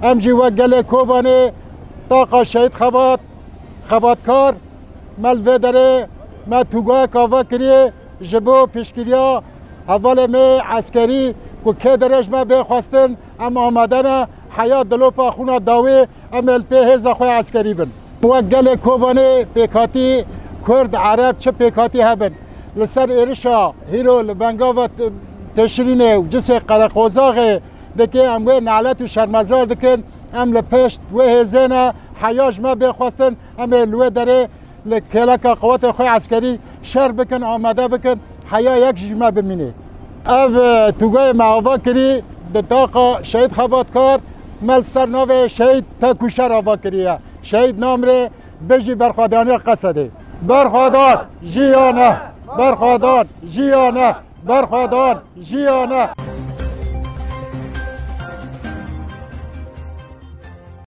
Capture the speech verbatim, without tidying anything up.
Em jî wek gelê Kobanê taqa Şehîd Xebat, Xebatkar, me li vê derê me tûgayek ava kiriye ji bo piştgiriya hevalê me eskerî ku kê derê ji me bê xwestin, em amade ne heya dilopa xwîna dawî em ê li pê hêza xwe eskerî bin. Wek gelê Kobanê pêkhatî Kurd, Ereb çi pêkhatî hebin, li ser êrişa hîro li bengava t-, Teşrînê û cisê Qereqozaxê dike, em wê nalet û şermezar dikin. Em li pêşt wê hêzê ne, heya ji me bê xwestin, em ê li wê derê li kêleka qewetê xwe eskerî şer bikin, amade bikin, heya yek ji me bimîne. Ev, e, tûgayê me ava kirî di taqa Şehîd Xebatkar, me li ser navê Şehîd Tekûşer ava kiriye. Şehîd namrê, bijî berxwedaniya Qesedê. Berxwedan jiyane, berxwedan jiyane, berxwedan jiyane.